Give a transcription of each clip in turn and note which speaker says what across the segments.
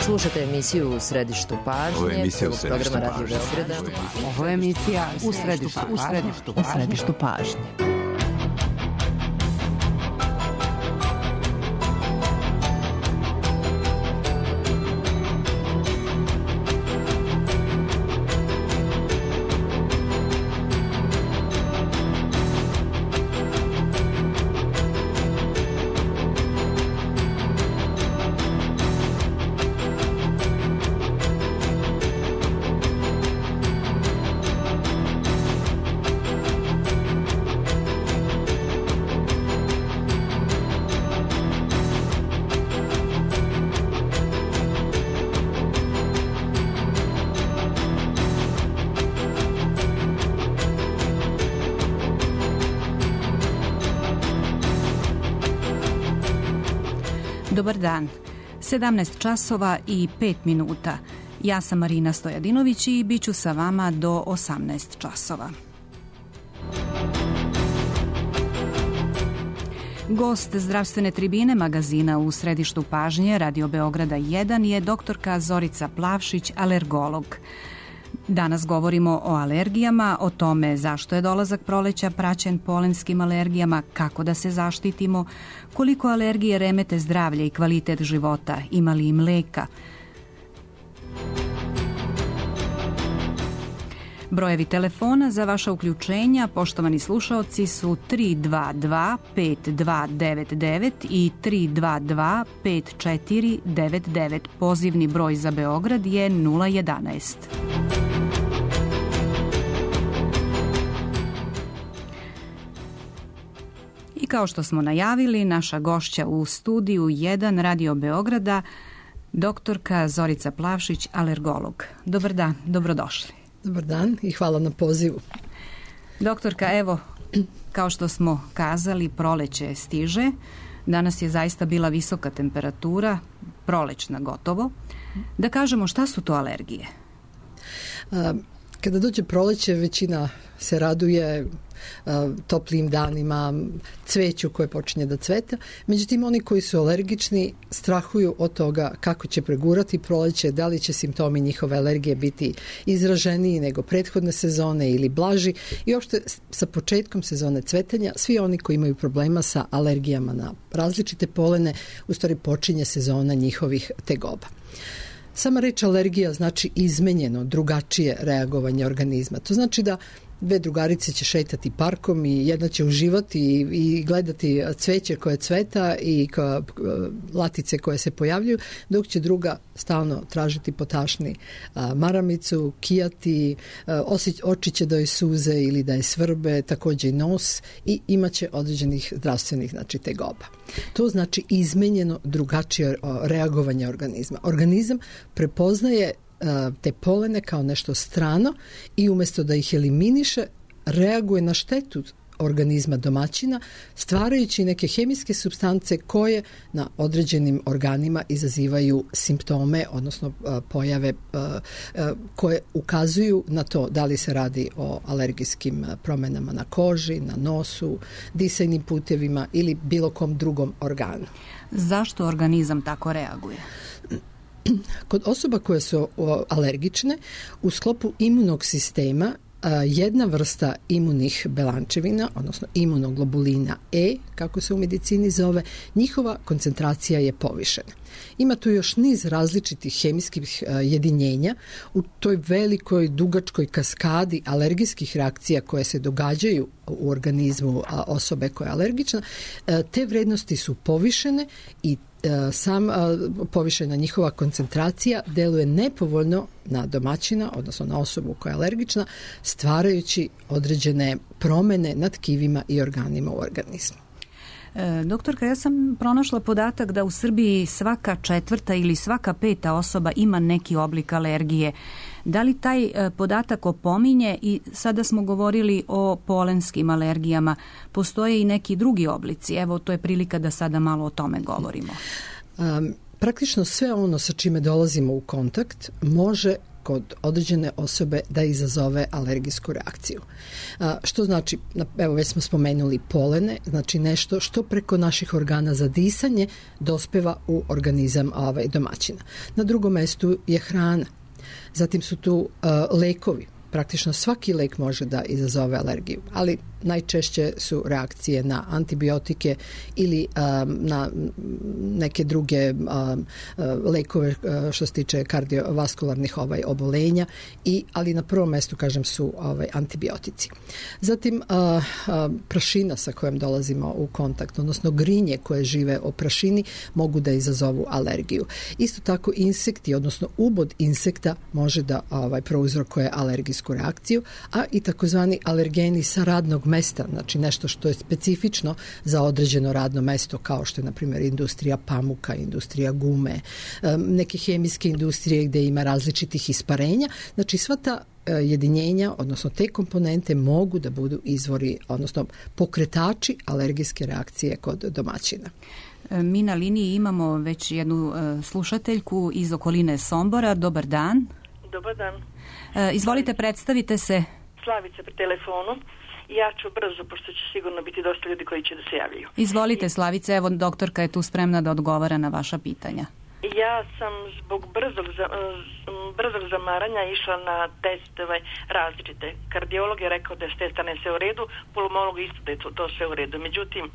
Speaker 1: Slušate emisiju U središtu pažnje, programa Radio Beograda.
Speaker 2: Ovo je emisija U središtu pažnje.
Speaker 3: Dobar dan. 17 časova i 5 minuta. Ja sam Marina Stojadinović i bit ću sa vama do 18 časova. Gost zdravstvene tribine magazina U središtu pažnje Radio Beograda 1 je doktorka Zorica Plavšić, alergolog. Danas govorimo o alergijama, o tome zašto je dolazak proleća praćen polenskim alergijama, kako da se zaštitimo, koliko alergije remete zdravlje i kvalitet života, ima li im leka. Brojevi telefona za vaša uključenja, poštovani slušaoci, su 322 5299 i 322 5499. Pozivni broj za Beograd je 011. I kao što smo najavili, naša gošća u studiju 1 Radio Beograda, doktorka Zorica Plavšić, alergolog. Dobar dan, dobrodošli.
Speaker 4: Dobar dan i hvala na pozivu.
Speaker 3: Doktorka, evo, kao što smo kazali, proleće stiže. Danas je zaista bila visoka temperatura, prolećna gotovo. Da kažemo, šta su to alergije?
Speaker 4: Kada dođe proleće, većina se raduje toplim danima, cveću koje počinje da cveta. Međutim, oni koji su alergični strahuju od toga kako će pregurati proleće, da li će simptomi njihove alergije biti izraženiji nego prethodne sezone ili blaži. I uopšte sa početkom sezone cvetanja, svi oni koji imaju problema sa alergijama na različite polene, u stvari počinje sezona njihovih tegoba. Sama reč alergija znači izmenjeno, drugačije reagovanje organizma. To znači da dve drugarice će šetati parkom i jedna će uživati i gledati cveće koje cveta i latice koje se pojavljuju, dok će druga stalno tražiti potašni maramicu, kijati, oči će da joj suze ili da je svrbe, također i nos, i imaće određenih zdravstvenih tegoba. To znači izmenjeno, drugačije reagovanje organizma. Organizam prepoznaje te polene kao nešto strano i umjesto da ih eliminiše, reaguje na štetu organizma domaćina, stvarajući neke hemijske supstance koje na određenim organima izazivaju simptome, odnosno pojave koje ukazuju na to da li se radi o alergijskim promjenama na koži, na nosu, disajnim putevima ili bilo kom drugom organu.
Speaker 3: Zašto organizam tako reaguje?
Speaker 4: Kod osoba koje su alergične, u sklopu imunog sistema jedna vrsta imunih belančevina, odnosno imunoglobulina E, kako se u medicini zove, njihova koncentracija je povišena. Ima tu još niz različitih hemijskih jedinjenja u toj velikoj, dugačkoj kaskadi alergijskih reakcija koje se događaju u organizmu osobe koja je alergična. Te vrednosti su povišene i povišena njihova koncentracija deluje nepovoljno na domaćina, odnosno na osobu koja je alergična, stvarajući određene promjene na tkivima i organima u organizmu.
Speaker 3: Doktorka, ja sam pronašla podatak da u Srbiji svaka 4. ili svaka 5. osoba ima neki oblik alergije. Da li taj podatak opominje, i sada smo govorili o polenskim alergijama, postoje i neki drugi oblici? Evo, to je prilika da sada malo o tome govorimo.
Speaker 4: Praktično sve ono sa čime dolazimo u kontakt može kod određene osobe da izazove alergijsku reakciju. Što znači, evo već smo spomenuli polene, znači nešto što preko naših organa za disanje dospeva u organizam domaćina. Na drugom mestu je hrana. Zatim su tu lekovi. Praktično svaki lek može da izazove alergiju, ali najčešće su reakcije na antibiotike ili na neke druge lekove što se tiče kardiovaskularnih obolenja, ali na prvom mestu, kažem, su antibiotici. Zatim prašina sa kojom dolazimo u kontakt, odnosno grinje koje žive o prašini mogu da izazovu alergiju. Isto tako insekti, odnosno ubod insekta može da prouzrokuje alergijsku reakciju, a i takozvani alergeni sa radnog mesta, znači nešto što je specifično za određeno radno mesto, kao što je, na primjer, industrija pamuka, industrija gume, neke hemijske industrije gdje ima različitih isparenja. Znači sva ta jedinjenja, odnosno te komponente mogu da budu izvori, odnosno pokretači alergijske reakcije kod domaćina.
Speaker 3: Mi na liniji imamo već jednu slušateljku iz okoline Sombora. Dobar dan.
Speaker 5: Dobar dan.
Speaker 3: Izvolite, predstavite se.
Speaker 5: Slavica pri telefonu. Ja ću brzo, pošto će sigurno biti dosta ljudi koji će da se javljaju.
Speaker 3: Izvolite, Slavice, evo doktorka je tu spremna da odgovara na vaša pitanja.
Speaker 5: Ja sam zbog brzog zamaranja išla na testove različite. Kardiolog je rekao da je s te strane sve u redu, pulmolog isto da je to sve u redu. Međutim,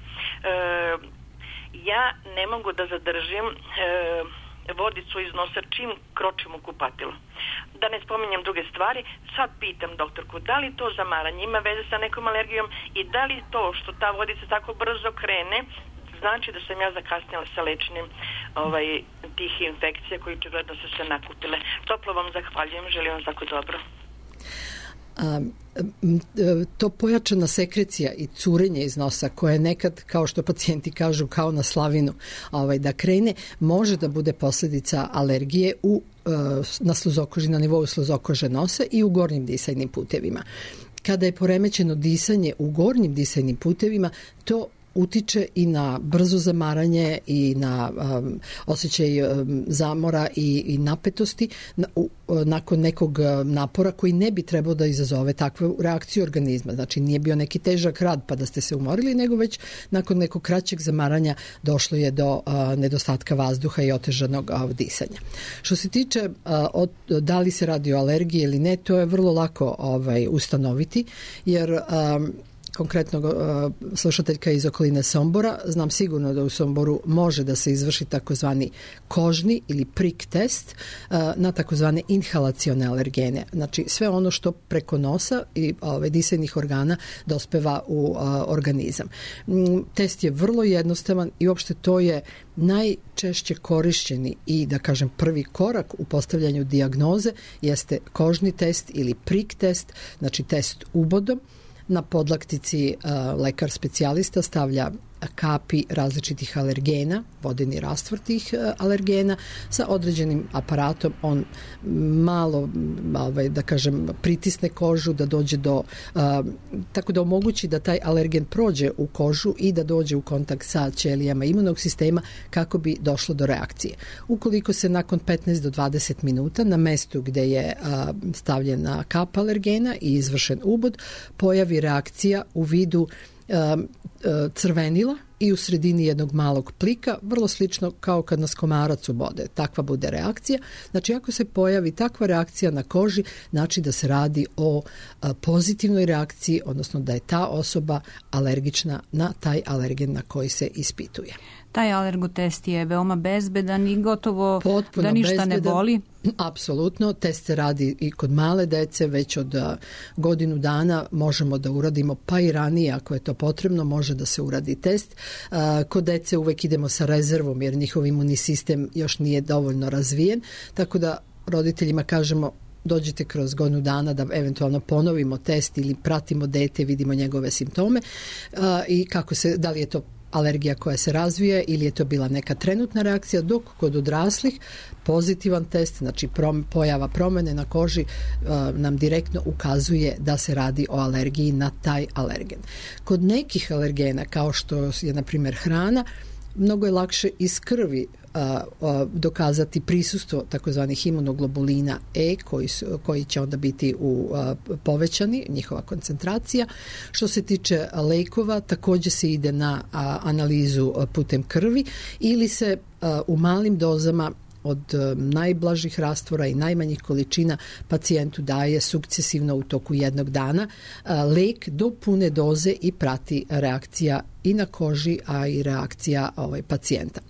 Speaker 5: ja ne mogu da zadržim vodicu iz nosa čim kročim u kupatilo. Da ne spominjem druge stvari, sad pitam doktorku, da li to zamaranje ima veze sa nekom alergijom i da li to što ta vodica tako brzo krene znači da sam ja zakasnila sa lečenjem tih infekcija koji očigledno su se nakupile. Toplo vam zahvaljujem, želim vam tako dobro.
Speaker 4: To pojačana sekrecija i curenje iz nosa koje nekad, kao što pacijenti kažu, kao na slavinu da krene, može da bude posljedica alergije na sluzokoži, na nivou sluzokože nosa i u gornjim disajnim putevima. Kada je poremećeno disanje u gornjim disajnim putevima, to utiče i na brzo zamaranje i na osjećaj zamora i napetosti nakon nekog napora koji ne bi trebao da izazove takvu reakciju organizma. Znači nije bio neki težak rad pa da ste se umorili, nego već nakon nekog kraćeg zamaranja došlo je do nedostatka vazduha i otežanog disanja. Što se tiče da li se radi o alergiji ili ne, to je vrlo lako ustanoviti, jer konkretno slušateljka iz okoline Sombora, znam sigurno da u Somboru može da se izvrši takozvani kožni ili prik test na takozvane inhalacione alergene. Znači sve ono što preko nosa i disajnih organa dospeva u organizam. Test je vrlo jednostavan i uopšte to je najčešće korišćeni i, da kažem, prvi korak u postavljanju dijagnoze jeste kožni test ili prik test, znači test ubodom. Na podlaktici lekar specijalista stavlja kapi različitih alergena, vodeni rastvor tih alergena sa određenim aparatom. On malo, da kažem, pritisne kožu da dođe do, tako da omogući da taj alergen prođe u kožu i da dođe u kontakt sa ćelijama imunog sistema kako bi došlo do reakcije. Ukoliko se nakon 15 do 20 minuta na mestu gdje je stavljena kap alergena i izvršen ubod pojavi reakcija u vidu crvenila i u sredini jednog malog plika, vrlo slično kao kad nas komarac ubode. Takva bude reakcija. Znači, ako se pojavi takva reakcija na koži, znači da se radi o pozitivnoj reakciji, odnosno da je ta osoba alergična na taj alergen na koji se ispituje.
Speaker 3: Taj alergotest je veoma bezbedan i gotovo
Speaker 4: potpuno
Speaker 3: da ništa
Speaker 4: bezbedan.
Speaker 3: Ne boli.
Speaker 4: Apsolutno, test se radi i kod male dece, već od godinu dana možemo da uradimo, pa i ranije ako je to potrebno, može da se uradi test. Kod dece uvek idemo sa rezervom jer njihov imunni sistem još nije dovoljno razvijen, tako da roditeljima kažemo dođite kroz godinu dana da eventualno ponovimo test ili pratimo dete, vidimo njegove simptome i kako se, da li je to alergija koja se razvije ili je to bila neka trenutna reakcija, dok kod odraslih pozitivan test, znači pojava promjene na koži nam direktno ukazuje da se radi o alergiji na taj alergen. Kod nekih alergena, kao što je na primjer hrana, mnogo je lakše iz krvi dokazati prisustvo takozvanih imunoglobulina E koji će onda biti povećani, njihova koncentracija. Što se tiče lekova, također se ide na analizu putem krvi ili se u malim dozama od najblažih rastvora i najmanjih količina pacijentu daje sukcesivno u toku jednog dana lek do pune doze i prati reakcija i na koži, a i reakcija pacijenta.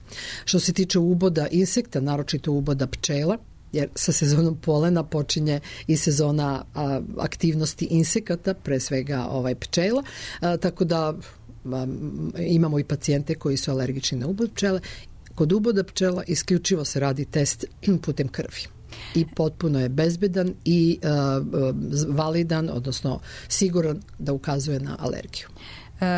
Speaker 4: Što se tiče uboda insekta, naročito uboda pčela, jer sa sezonom polena počinje i sezona aktivnosti insekata, pre svega pčela, tako da imamo i pacijente koji su alergični na ubod pčele. Kod uboda pčela isključivo se radi test putem krvi i potpuno je bezbedan i validan, odnosno siguran da ukazuje na alergiju.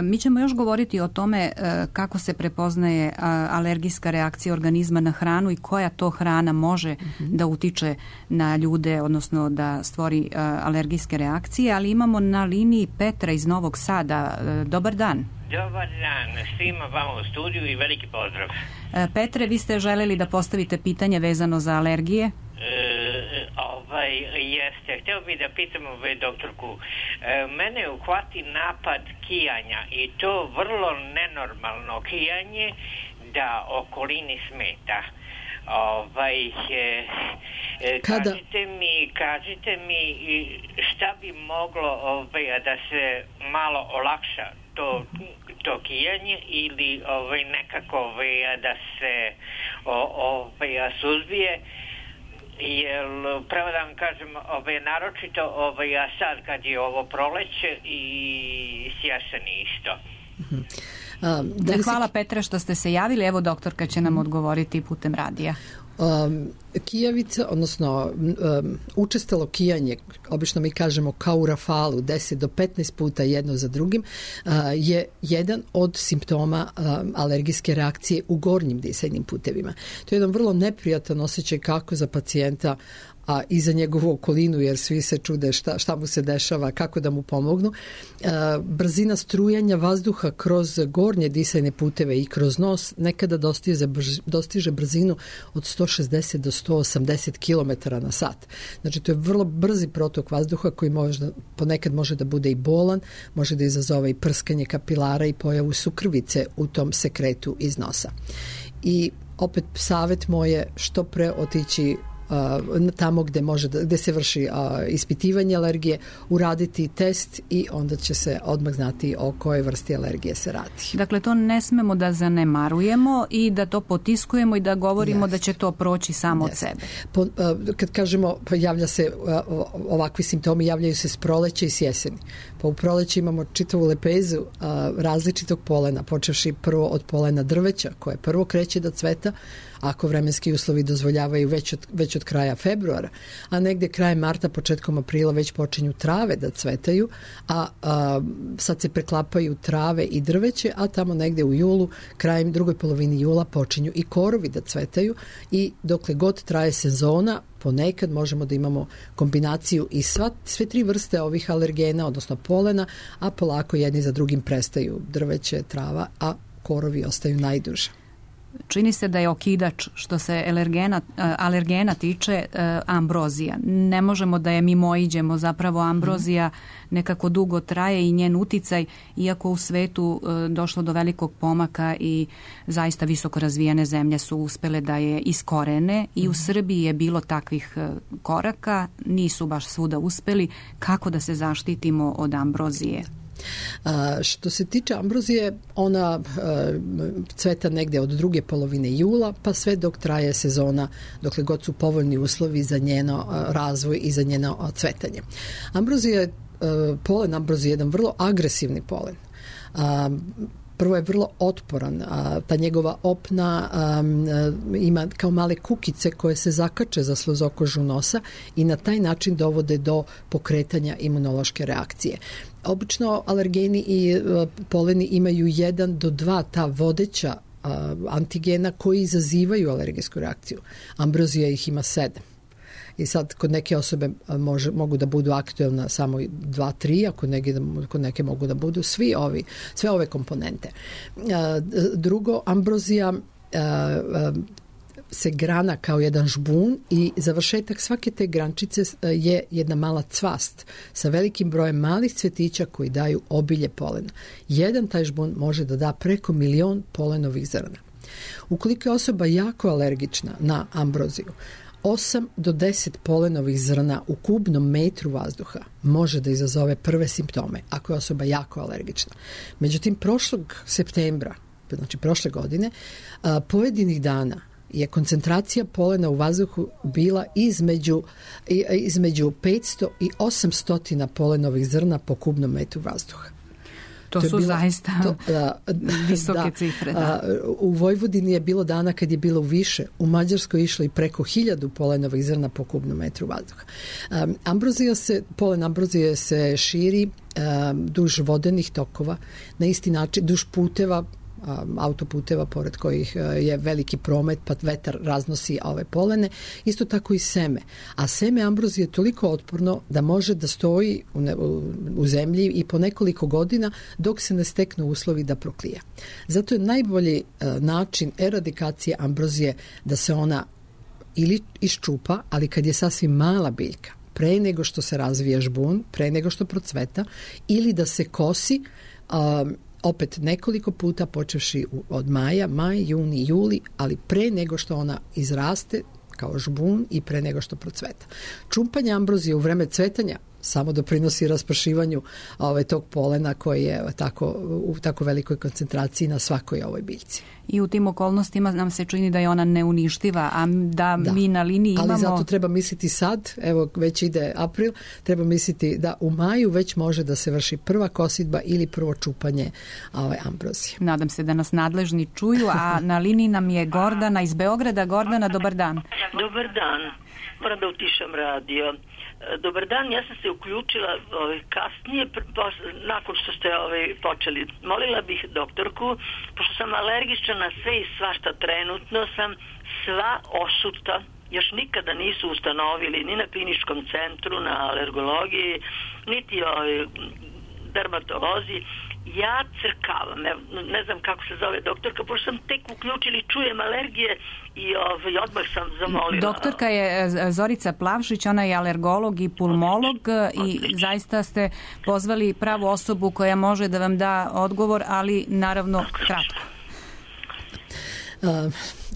Speaker 3: Mi ćemo još govoriti o tome kako se prepoznaje alergijska reakcija organizma na hranu i koja to hrana može da utiče na ljude, odnosno da stvori alergijske reakcije, ali imamo na liniji Petra iz Novog Sada. Dobar dan.
Speaker 6: Dobar dan svima vama u studiju i veliki pozdrav.
Speaker 3: Petre, vi ste želeli da postavite pitanje vezano za alergije?
Speaker 6: Jeste. Htio bih da pitam doktorku. Mene uhvati napad kijanja i to vrlo nenormalno kijanje da okolini smeta. Kažite mi šta bi moglo da se malo olakša to kijanje ili nekako da se suzbije. Jer pravo da vam kažem, naročito sad kad je ovo proleće i sjesen isto.
Speaker 3: Hvala Petra što ste se javili. Evo doktorka će nam odgovoriti putem radija.
Speaker 4: Kijavica, odnosno učestalo kijanje, obično mi kažemo kao u rafalu, 10 do 15 puta jedno za drugim, je jedan od simptoma alergijske reakcije u gornjim disajnim putevima. To je jedan vrlo neprijatan osjećaj kako za pacijenta, a i za njegovu okolinu, jer svi se čude šta mu se dešava, kako da mu pomognu. Brzina strujanja vazduha kroz gornje disajne puteve i kroz nos nekada dostiže brzinu od 160 do 180 km na sat. Znači, to je vrlo brzi protok vazduha koji ponekad može da bude i bolan, može da izazove i prskanje kapilara i pojavu sukrvice u tom sekretu iz nosa. I opet savjet moj je što pre otići tamo gde se vrši ispitivanje alergije, uraditi test i onda će se odmah znati o kojoj vrsti alergije se radi.
Speaker 3: Dakle, to ne smemo da zanemarujemo i da to potiskujemo i da govorimo da će to proći samo od sebe.
Speaker 4: Kad kažemo javlja se ovakvi simptomi, javljaju se s proleća i s jeseni. Pa u proleći imamo čitavu lepezu različitog polena, počevši prvo od polena drveća koje prvo kreće da cveta, ako vremenski uslovi dozvoljavaju već od kraja februara, a negde krajem marta, početkom aprila već počinju trave da cvetaju, a sad se preklapaju trave i drveće, a tamo negde u julu, krajem drugoj polovini jula počinju i korovi da cvetaju i dokle god traje sezona, ponekad možemo da imamo kombinaciju i sve tri vrste ovih alergena, odnosno polena, a polako jedni za drugim prestaju drveće, trava, a korovi ostaju najduže.
Speaker 3: Čini se da je okidač što se alergena tiče ambrozija. Ne možemo da je mimoiđemo, zapravo ambrozija nekako dugo traje i njen uticaj, iako u svetu došlo do velikog pomaka i zaista visoko razvijene zemlje su uspele da je iskorene i u Srbiji je bilo takvih koraka, nisu baš svuda uspeli. Kako da se zaštitimo od ambrozije?
Speaker 4: Što se tiče ambrozije, ona cveta negde od druge polovine jula pa sve dok traje sezona, dokle god su povoljni uslovi za njeno razvoj i za njeno cvetanje. Polen ambrozije je jedan vrlo agresivni polen. Prvo je vrlo otporan, ta njegova opna ima kao male kukice koje se zakače za sluzokožu nosa i na taj način dovode do pokretanja imunološke reakcije. Obično alergeni i poleni imaju 1 do 2 ta vodeća antigena koji izazivaju alergijsku reakciju. Ambrozija ih ima 7. I sad kod neke osobe mogu da budu aktuelna samo 2-3, kod neke mogu da budu sve ove komponente. Drugo, ambrozija se grana kao jedan žbun i završetak svake te grančice je jedna mala cvast sa velikim brojem malih cvetića koji daju obilje polena. Jedan taj žbun može da da preko 1.000.000 polenovih zrna. Ukoliko je osoba jako alergična na ambroziju, 8 do 10 polenovih zrna u kubnom metru vazduha može da izazove prve simptome ako je osoba jako alergična. Međutim, prošlog septembra, znači prošle godine, pojedinih dana je koncentracija polena u vazduhu bila između 500 i 800 polenovih zrna po kubnom metru vazduha.
Speaker 3: To su zaista visoke cifre.
Speaker 4: U Vojvodini je bilo dana kad je bilo više, u Mađarskoj išlo i preko 1000 polenovih zrna po kubnom metru vazduha. Polen ambrozije se širi duž vodenih tokova, na isti način duž puteva, autoputeva pored kojih je veliki promet, pa vetar raznosi ove polene, isto tako i seme. A seme ambrozije je toliko otporno da može da stoji u zemlji i po nekoliko godina dok se ne steknu uslovi da proklija. Zato je najbolji način eradikacije ambrozije da se ona ili iščupa, ali kad je sasvim mala biljka, pre nego što se razvije žbun, pre nego što procveta, ili da se kosi opet nekoliko puta počevši od maj, juni, juli, ali pre nego što ona izraste kao žbun i pre nego što procveta. Čumpanje ambrozije u vreme cvetanja samo doprinosi raspršivanju tog polena koji je u tako velikoj koncentraciji na svakoj ovoj biljci.
Speaker 3: I u tim okolnostima nam se čini da je ona neuništiva, a da mi na liniji imamo...
Speaker 4: Ali zato treba misliti sad, evo već ide april, treba misliti da u maju već može da se vrši prva kosidba ili prvo čupanje ambrozije.
Speaker 3: Nadam se da nas nadležni čuju, a na liniji nam je Gordana iz Beograda. Gordana, dobar dan.
Speaker 7: Dobar dan. Moram da utišam radio. Dobar dan, ja sam se uključila kasnije, nakon što ste počeli. Molila bih doktorku, pošto sam alergična na sve i svašta trenutno, sam sva osuta, još nikada nisu ustanovili ni na kliničkom centru, na alergologiji, niti dermatolozi. Ja crkavam, ne znam kako se zove doktorka, pošto sam tek uključili, čujem alergije i odmah sam zamolila.
Speaker 3: Doktorka je Zorica Plavšić, ona je alergolog i pulmolog i zaista ste pozvali pravu osobu koja može da vam da odgovor, ali naravno kratko.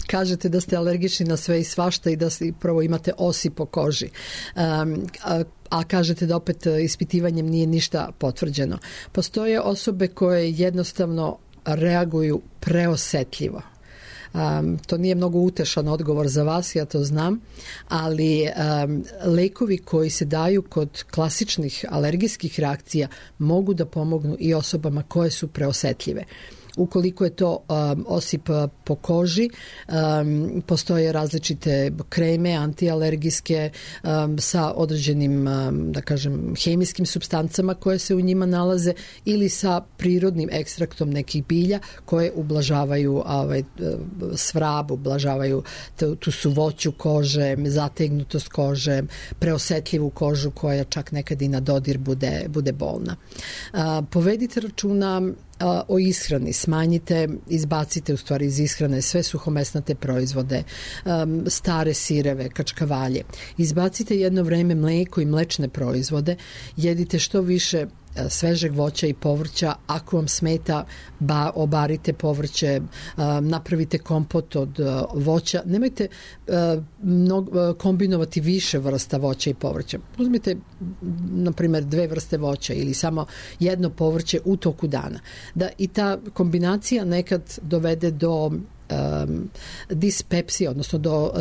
Speaker 4: Kažete da ste alergični na sve i svašta i da prvo imate osi po koži. A kažete da opet ispitivanjem nije ništa potvrđeno. Postoje osobe koje jednostavno reaguju preosetljivo. To nije mnogo utešan odgovor za vas, ja to znam, ali lekovi koji se daju kod klasičnih alergijskih reakcija mogu da pomognu i osobama koje su preosetljive. Ukoliko je to osip po koži, postoje različite kreme antialergijske sa određenim, da kažem, hemijskim supstancama koje se u njima nalaze ili sa prirodnim ekstraktom nekih bilja koje ublažavaju svrab, ublažavaju tu suvoću kože, zategnutost kože, preosetljivu kožu koja čak nekad i na dodir bude bolna. Povedite računa o ishrani, smanjite, izbacite u stvari iz ishrane sve suhomesnate proizvode, stare sireve, kačkavalje. Izbacite jedno vreme mleko i mlečne proizvode, jedite što više svežeg voća i povrća, ako vam smeta obarite povrće, napravite kompot od voća, nemojte kombinovati više vrsta voća i povrća. Uzmite na primjer 2 vrste voća ili samo jedno povrće u toku dana. Da i ta kombinacija nekad dovede do dispepsije, odnosno do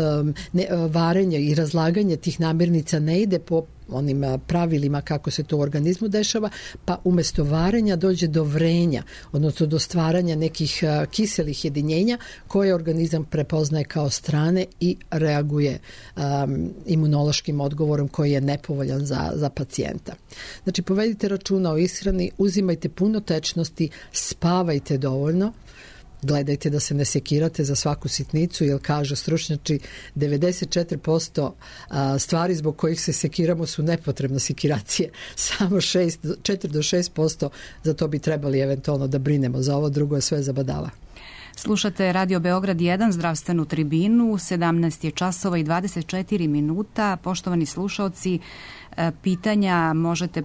Speaker 4: varenja i razlaganja tih namirnica ne ide po onim pravilima kako se to u organizmu dešava, pa umjesto varenja dođe do vrenja, odnosno do stvaranja nekih kiselih jedinjenja koje organizam prepoznaje kao strane i reaguje imunološkim odgovorom koji je nepovoljan za pacijenta. Znači, povedite računa o ishrani, uzimajte puno tečnosti, spavajte dovoljno, gledajte da se ne sekirate za svaku sitnicu, jer kažu stručnjaci 94% stvari zbog kojih se sekiramo su nepotrebne sekiracije. Samo 4 do 6% za to bi trebali eventualno da brinemo. Za ovo drugo je sve zabadava.
Speaker 3: Slušate Radio Beograd 1, zdravstvenu tribinu, 17 je časova i 24 minuta. Poštovani slušaoci, pitanja možete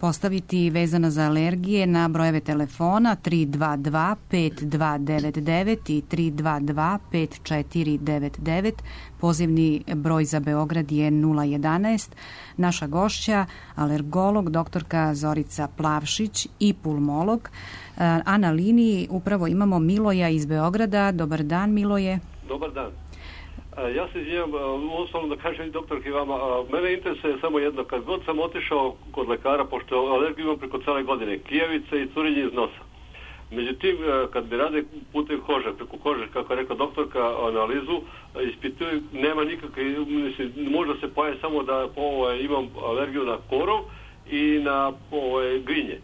Speaker 3: postaviti vezana za alergije na brojeve telefona 322 5299 i 322 5499. Pozivni broj za Beograd je 011. Naša gošća, alergolog, doktorka Zorica Plavšić i pulmolog. A na liniji upravo imamo Miloja iz Beograda. Dobar dan, Miloje.
Speaker 8: Dobar dan. Ja se izvinjam, uostalom da kažem doktorki vama, mene interesuje samo jedno, kad god sam otišao kod lekara, pošto alergiju imam preko cele godine, kijevice i curenje iz nosa. Međutim, kad mi rade putem kože, preko kože, kako je rekla doktorka, analizu, ispituju, nema nikakve, mislim, možda se pojavi samo da imam alergiju na korov i na grinje.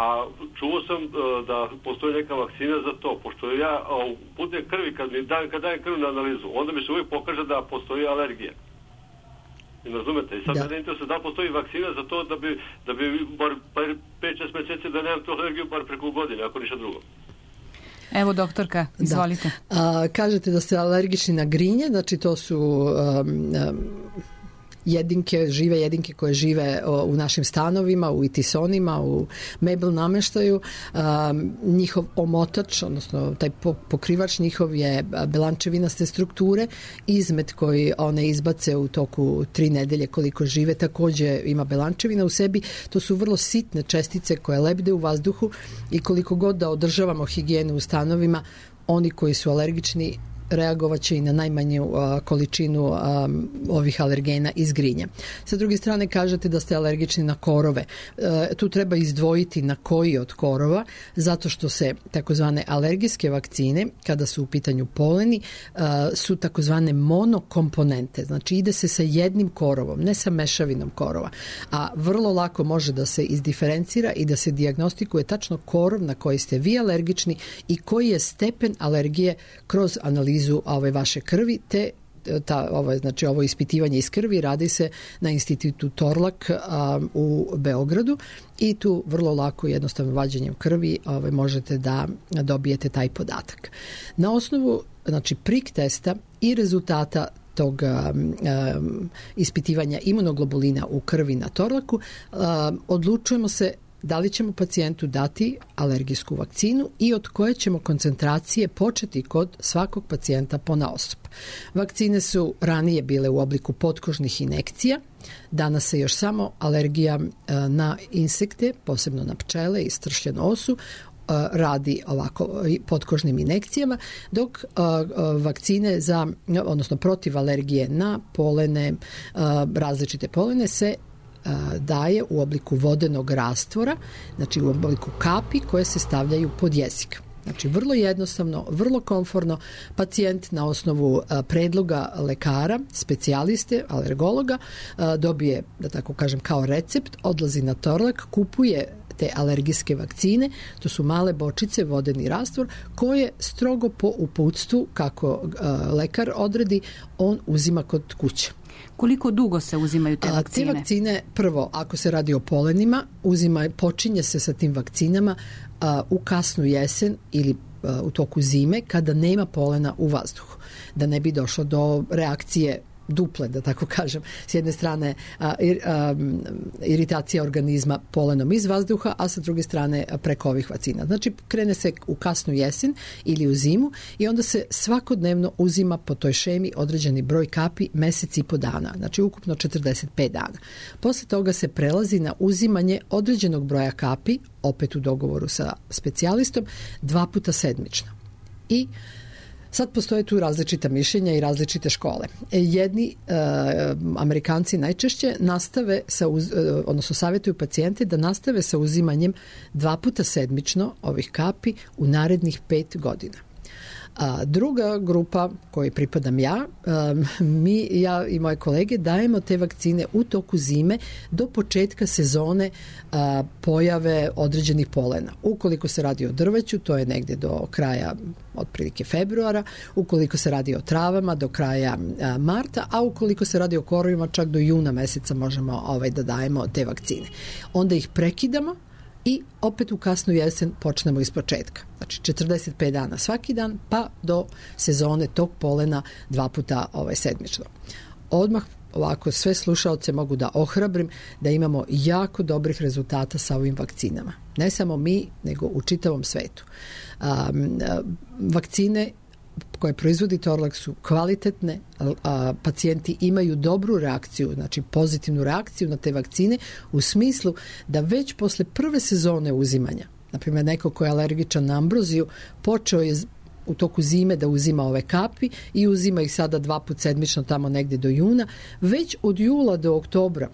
Speaker 8: A čuo sam da postoji neka vakcina za to, pošto ja putem krvi, kad dajem krv na analizu, onda mi se uvijek pokaže da postoji alergija. I razumete? I sad mene interesuje da postoji vakcina za to da bi bar 5-6 mjeseci da nemam tu alergiju bar preko godine, ako ništa drugo.
Speaker 3: Evo, doktorka, izvolite.
Speaker 4: Kažete da ste alergični na grinje, znači to su žive jedinke koje žive u našim stanovima, u itisonima, u mebel nameštaju. Njihov omotač, odnosno taj pokrivač njihov je belančevinaste strukture. Izmet koji one izbace u toku 3 nedelje koliko žive također ima belančevina u sebi. To su vrlo sitne čestice koje lebde u vazduhu i koliko god da održavamo higijenu u stanovima, oni koji su alergični reagovat će i na najmanju količinu ovih alergena iz grinja. Sa druge strane kažete da ste alergični na korove. Tu treba izdvojiti na koji od korova, zato što se takozvane alergijske vakcine, kada su u pitanju poleni, su takozvane monokomponente. Znači ide se sa jednim korovom, ne sa mešavinom korova. A vrlo lako može da se izdiferencira i da se dijagnostikuje tačno korov na koji ste vi alergični i koji je stepen alergije kroz analizu ove vaše krvi, te ovo ispitivanje iz krvi radi se na institutu Torlak u Beogradu i tu vrlo lako jednostavno vađenjem krvi možete da dobijete taj podatak. Na osnovu prik testa i rezultata tog ispitivanja imunoglobulina u krvi na Torlaku odlučujemo se da li ćemo pacijentu dati alergijsku vakcinu i od koje ćemo koncentracije početi kod svakog pacijenta ponaosob. Vakcine su ranije bile u obliku potkožnih injekcija, danas se još samo alergija na insekte, posebno na pčele i stršljenu osu, radi ovako potkožnim injekcijama, dok vakcine odnosno protiv alergije na polene, različite polene se daje u obliku vodenog rastvora, znači u obliku kapi koje se stavljaju pod jezik. Znači vrlo jednostavno, vrlo komforno, pacijent na osnovu predloga lekara, specijaliste, alergologa, dobije, da tako kažem, kao recept, odlazi na Torlak, kupuje te alergijske vakcine, to su male bočice, vodeni rastvor, koje strogo po uputstvu, kako lekar odredi, on uzima kod kuće.
Speaker 3: Koliko dugo se uzimaju te vakcine?
Speaker 4: Te vakcine, prvo, ako se radi o polenima, počinje se sa tim vakcinama u kasnu jesen ili u toku zime, kada nema polena u vazduhu, da ne bi došlo do reakcije duple, da tako kažem. S jedne strane iritacija organizma polenom iz vazduha, a sa druge strane preko ovih vakcina. Znači, krene se u kasnu jesen ili u zimu i onda se svakodnevno uzima po toj šemi određeni broj kapi mesec i po dana. Znači, ukupno 45 dana. Posle toga se prelazi na uzimanje određenog broja kapi, opet u dogovoru sa specijalistom, 2 puta sedmično. I sad postoje tu različita mišljenja i različite škole. Jedni Amerikanci najčešće odnosno savjetuju pacijente da nastave sa uzimanjem 2 puta sedmično ovih kapi u narednih 5 godina. Druga grupa kojoj pripadam ja i moje kolege dajemo te vakcine u toku zime do početka sezone pojave određenih polena. Ukoliko se radi o drveću, to je negdje do kraja otprilike februara, ukoliko se radi o travama do kraja marta, a ukoliko se radi o korovima čak do juna meseca možemo da dajemo te vakcine. Onda ih prekidamo i opet u kasnu jesen počnemo iz početka. Znači 45 dana svaki dan, pa do sezone tog polena 2 puta sedmično. Odmah ovako sve slušaoce mogu da ohrabrim da imamo jako dobrih rezultata sa ovim vakcinama. Ne samo mi, nego u čitavom svetu. Vakcine koje proizvodi Torlak su kvalitetne, pacijenti imaju dobru reakciju, znači pozitivnu reakciju na te vakcine u smislu da već posle prve sezone uzimanja, na primjer neko ko je alergičan na ambroziju, počeo je u toku zime da uzima ove kapi i uzima ih sada 2 puta sedmično tamo negdje do juna, već od jula do oktobra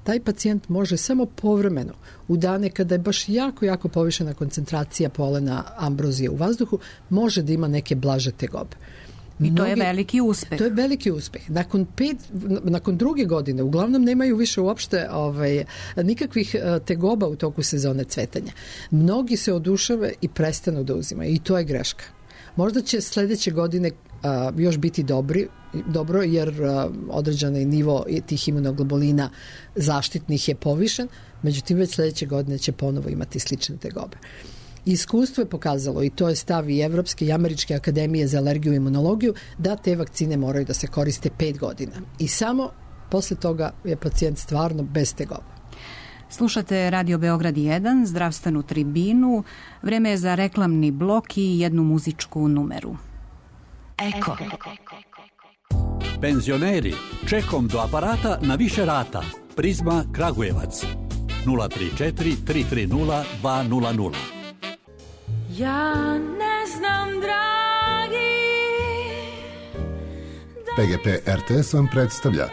Speaker 4: taj pacijent može samo povremeno u dane kada je baš jako povišena koncentracija polena ambrozije u vazduhu, može da ima neke blaže tegobe.
Speaker 3: I to je veliki uspeh.
Speaker 4: To je veliki uspeh. Nakon druge godine uglavnom nemaju više uopšte nikakvih tegoba u toku sezone cvetanja. Mnogi se odušave i prestanu da uzimaju i to je greška. Možda će sljedeće godine još biti dobro jer određeni nivo tih imunoglobulina zaštitnih je povišen, međutim već sljedeće godine će ponovo imati slične tegobe. Iskustvo je pokazalo, i to je stav i Evropske i Američke akademije za alergiju i imunologiju, da te vakcine moraju da se koriste 5 godina. I samo posle toga je pacijent stvarno bez tegoba.
Speaker 3: Slušate Radio Beograd 1, zdravstvenu tribinu. Vreme je za reklamni blok i jednu muzičku numeru.
Speaker 2: Eko.
Speaker 9: Penzioneri, čekom do aparata na više rata. Prizma Kragujevac. 034 330 200.
Speaker 10: Ja ne znam, dragi.
Speaker 11: PGP RTS vam predstavlja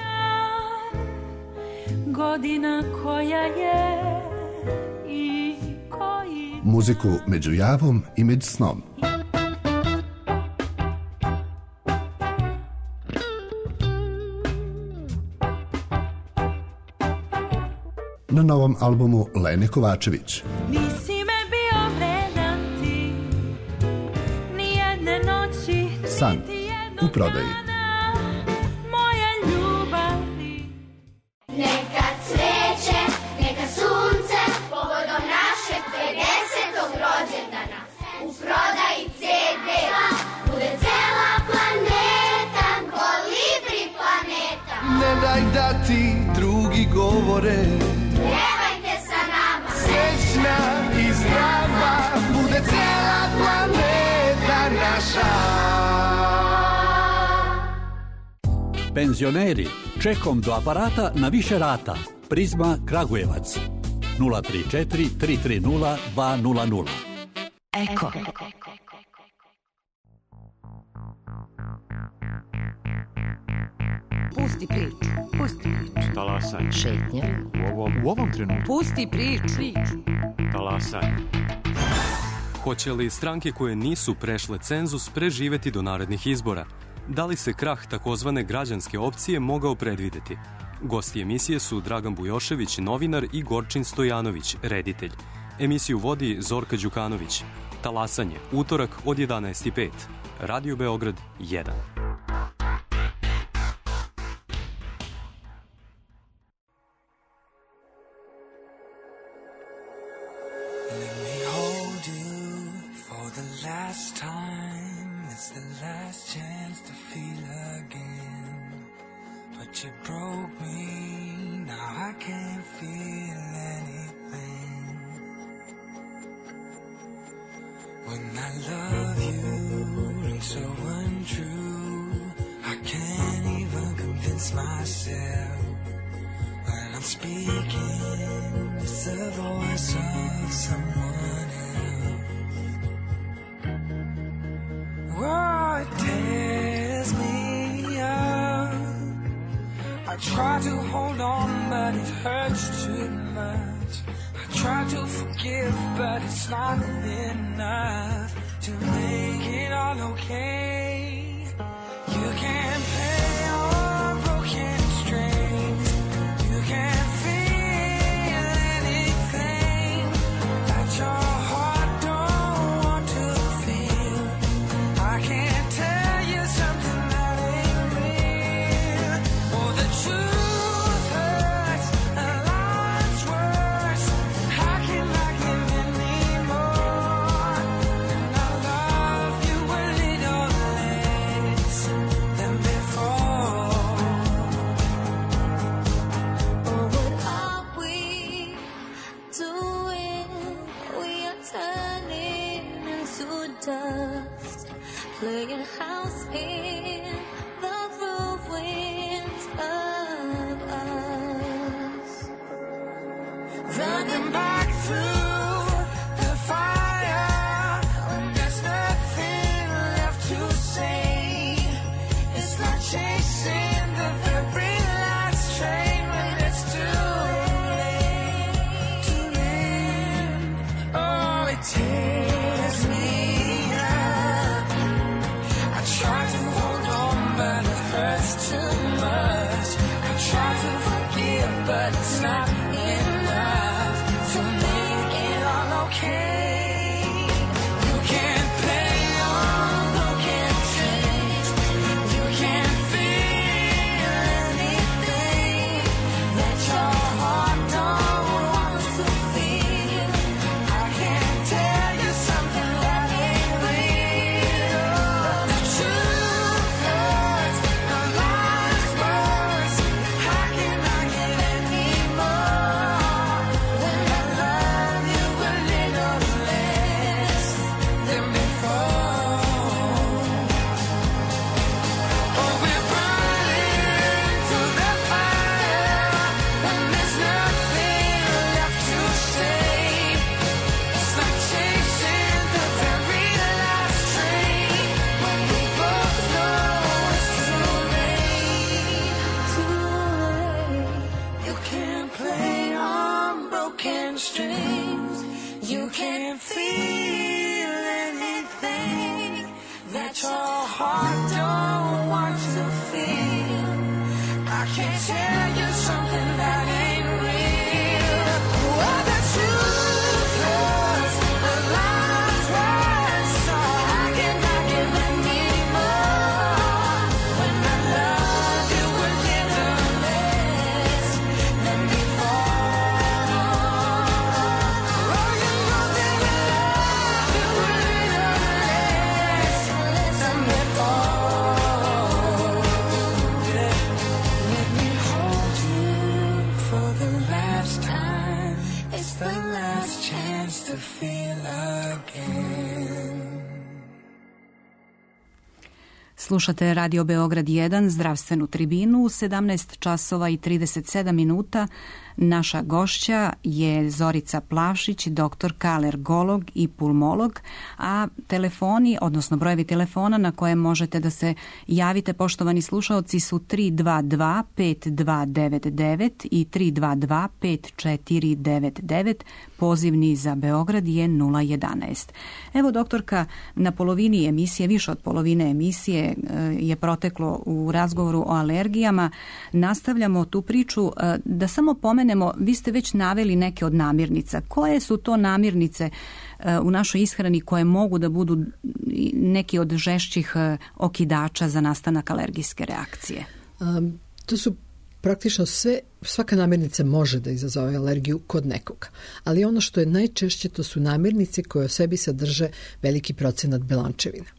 Speaker 10: Godina koja je i koji...
Speaker 11: muziku među javom i među snom. Na novom albumu Lene Kovačević.
Speaker 10: Nisi me bio vredan ti, nijedne noći.
Speaker 11: San u prodaji.
Speaker 10: Moje ljubavi.
Speaker 12: Neka cveće, neka sunce, povodom našeg 50. rođendana. U prodaji CD-a bude cela planeta, Kolibri planeta.
Speaker 13: Ne daj da ti drugi govore,
Speaker 12: pjevajte sa nama.
Speaker 13: Srećna i zdrava bude cela planeta naša.
Speaker 9: Penzioneri, čekom do aparata na više rata. Prizma Kragujevac. 034 330 200.
Speaker 2: Eko.
Speaker 1: Pusti priču.
Speaker 14: Talasaj.
Speaker 1: Šetnja.
Speaker 14: U ovom trenutku.
Speaker 1: Pusti priču.
Speaker 14: Talasaj. Hoće li stranke koje nisu prešle cenzus preživeti do narednih izbora? Da li se krah takozvane građanske opcije mogao predvideti? Gosti emisije su Dragan Bujošević, novinar, i Gorčin Stojanović, reditelj. Emisiju vodi Zorka Đukanović. Talasanje, utorak od 11:05. Radio Beograd 1.
Speaker 15: Last time, it's the last chance to feel again. But you broke me, now I can't feel anything. When I love you, rings so untrue, I can't even convince myself. When I'm speaking, it's the voice of someone else. Oh, it tears me up. I try to hold on, but it hurts too much. I try to forgive, but it's not enough to make it all okay.
Speaker 10: house in the ruins of us.
Speaker 15: Running back through the fire when there's nothing left to say. It's like chasing the very last train when it's too late. Oh, it tears me up. I try to hold on, but it hurts too much. I try to forgive, but it's not enough to make it all okay. You can't play on broken strings. You can't feel anything that your heart don't want to feel. I can't tell you something that ain't real. The truth hurts, the lies worse. How can I get any more when I love you a little less than before? Oh, we're burning through the fire when there's nothing left to say. It's like chasing the very last train when we both know it's too late. You can't play on broken strings. You can't feel anything that your heart don't want to feel. I can't tell you something that ain't real. Oh, the truth hurts, the lies worse. So how can I give any more when I love you a little less than before? Oh, you know that I love you a little less than before. Let me hold you for the last time. It's the last chance to feel again.
Speaker 3: Slušate Radio Beograd 1, zdravstvenu tribinu, 17 časova i 37 minuta. Naša gošća je Zorica Plavšić, doktorka, alergolog i pulmolog, a telefoni, odnosno brojevi telefona na koje možete da se javite, poštovani slušaoci, su 322-5299 i 322-5499. Pozivni za Beograd je 011. Evo, doktorka, na polovini emisije, više od polovine emisije je proteklo u razgovoru o alergijama. Nastavljamo tu priču. Da samo pomenemo, vi ste već naveli neke od namirnica. Koje su to namirnice u našoj ishrani koje mogu da budu neki od žešćih okidača za nastanak alergijske reakcije?
Speaker 4: To su praktično svaka namirnica može da izazove alergiju kod nekoga. Ali ono što je najčešće, to su namirnice koje u sebi sadrže veliki procenat belančevina.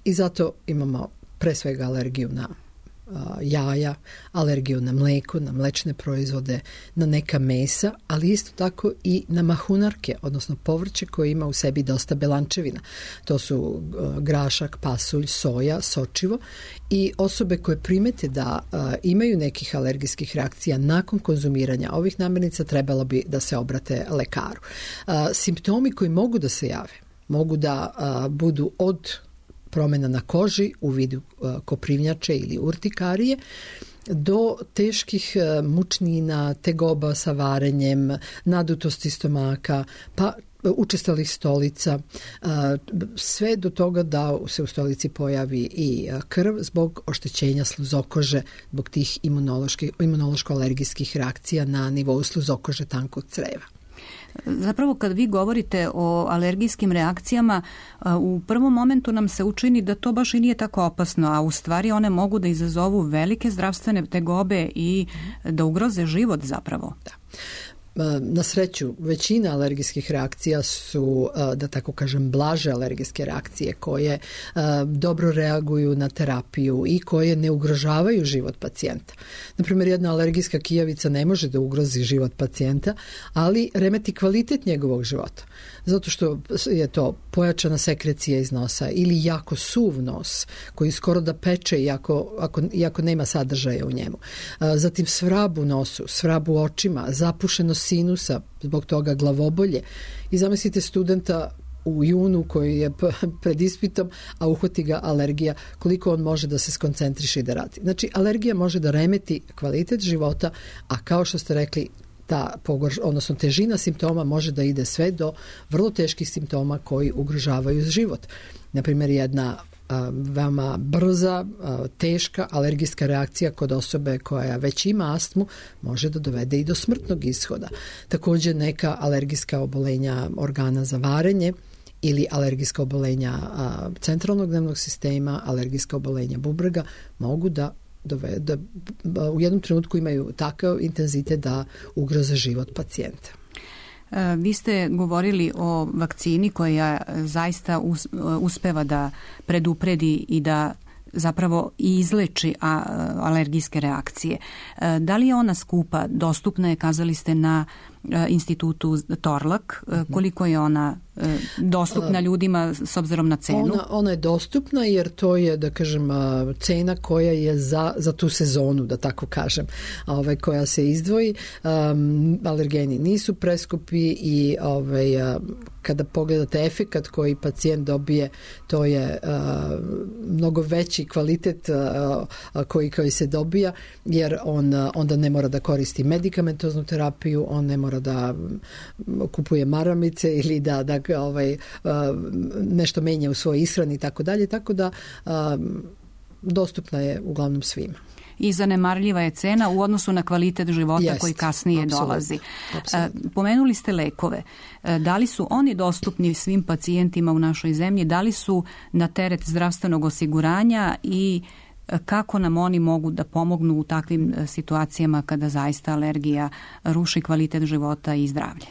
Speaker 4: I zato imamo pre svega alergiju na jaja, alergiju na mleko, na mlečne proizvode, na neka mesa, ali isto tako i na mahunarke, odnosno povrće koje ima u sebi dosta belančevina. To su grašak, pasulj, soja, sočivo, i osobe koje primete da imaju nekih alergijskih reakcija nakon konzumiranja ovih namirnica trebalo bi da se obrate lekaru. Simptomi koji mogu da se jave mogu da budu od promjena na koži u vidu koprivnjače ili urtikarije do teških mučnina, tegoba sa varenjem, nadutosti stomaka, pa učestalih stolica, sve do toga da se u stolici pojavi i krv zbog oštećenja sluzokože, zbog tih imunološko-alergijskih reakcija na nivou sluzokože tankog creva.
Speaker 3: Zapravo kad vi govorite o alergijskim reakcijama, u prvom momentu nam se učini da to baš i nije tako opasno, a u stvari one mogu da izazovu velike zdravstvene tegobe i da ugroze život zapravo.
Speaker 4: Da. Na sreću, većina alergijskih reakcija su, da tako kažem, blaže alergijske reakcije koje dobro reaguju na terapiju i koje ne ugrožavaju život pacijenta. Naprimjer, jedna alergijska kijavica ne može da ugrozi život pacijenta, ali remeti kvalitet njegovog života. Zato što je to pojačana sekrecija iz nosa ili jako suv nos koji skoro da peče iako nema sadržaja u njemu. Zatim svrab u nosu, svrab u očima, zapušenost sinusa, zbog toga glavobolje. I zamislite studenta u junu koji je pred ispitom, a uhvati ga alergija, koliko on može da se skoncentriše i da radi. Znači, alergija može da remeti kvalitet života, a kao što ste rekli, odnosno težina simptoma može da ide sve do vrlo teških simptoma koji ugrožavaju život. Naprimjer, jedna veoma brza, teška alergijska reakcija kod osobe koja već ima astmu može da dovede i do smrtnog ishoda. Također neka alergijska obolenja organa za varenje ili alergijska obolenja centralnog nervnog sistema, alergijska obolenja bubrega mogu da u jednom trenutku imaju takav intenzitet da ugroze život pacijenta.
Speaker 3: Vi ste govorili o vakcini koja zaista uspeva da predupredi i da zapravo i izleči alergijske reakcije. Da li je ona skupa? Dostupna je, kazali ste, na institutu Torlak. Koliko je ona dostupna ljudima s obzirom na cenu?
Speaker 4: Ona je dostupna jer to je, da kažem, cena koja je za tu sezonu, da tako kažem, koja se izdvoji. Alergeni nisu preskupi i kada pogledate efekat koji pacijent dobije, to je mnogo veći kvalitet koji se dobija, jer on onda ne mora da koristi medikamentoznu terapiju, on ne mora da kupuje maramice ili da nešto menja u svojoj ishrani i tako dalje, tako da dostupna je uglavnom svima.
Speaker 3: I zanemarljiva je cena u odnosu na kvalitet života koji kasnije dolazi. Pomenuli ste lekove. Da li su oni dostupni svim pacijentima u našoj zemlji? Da li su na teret zdravstvenog osiguranja i kako nam oni mogu da pomognu u takvim situacijama kada zaista alergija ruši kvalitet života i zdravlje?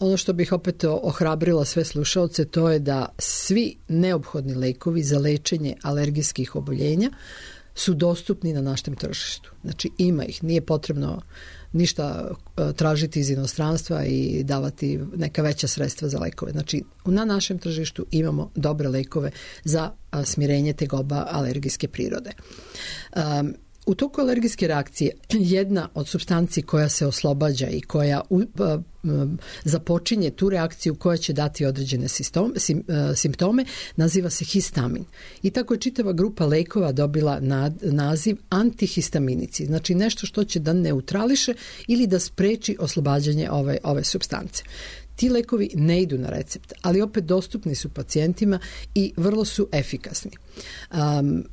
Speaker 4: Ono što bih opet ohrabrila sve slušaoce, to je da svi neophodni lekovi za lečenje alergijskih oboljenja su dostupni na našem tržištu. Znači, ima ih, nije potrebno ništa tražiti iz inostranstva i davati neka veća sredstva za lekove. Znači, na našem tržištu imamo dobre lekove za smirenje tegoba alergijske prirode. U toku alergijske reakcije jedna od supstanci koja se oslobađa i koja započinje tu reakciju koja će dati određene simptome, naziva se histamin. I tako je čitava grupa lekova dobila naziv antihistaminici, znači nešto što će da neutrališe ili da spreči oslobađanje ove supstance. Ti lekovi ne idu na recept, ali opet dostupni su pacijentima i vrlo su efikasni.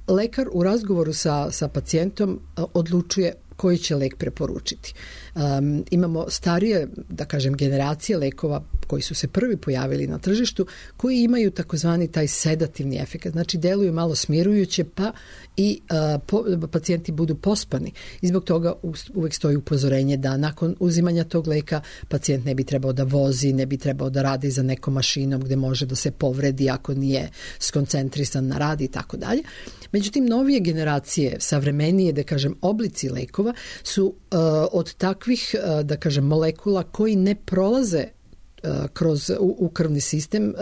Speaker 4: Lekar u razgovoru sa pacijentom odlučuje koji će lek preporučiti. Imamo starije, da kažem, generacije lekova koji su se prvi pojavili na tržištu, koji imaju takozvani taj sedativni efekt. Znači, deluju malo smirujuće, pa i pacijenti budu pospani. I zbog toga uvek stoji upozorenje da nakon uzimanja tog leka pacijent ne bi trebao da vozi, ne bi trebao da radi za nekom mašinom gde može da se povredi ako nije skoncentrisan na rad i tako dalje. Međutim, novije generacije, savremenije, da kažem, oblici lekova su od takvih, da kažem, molekula koji ne prolaze u krvni sistem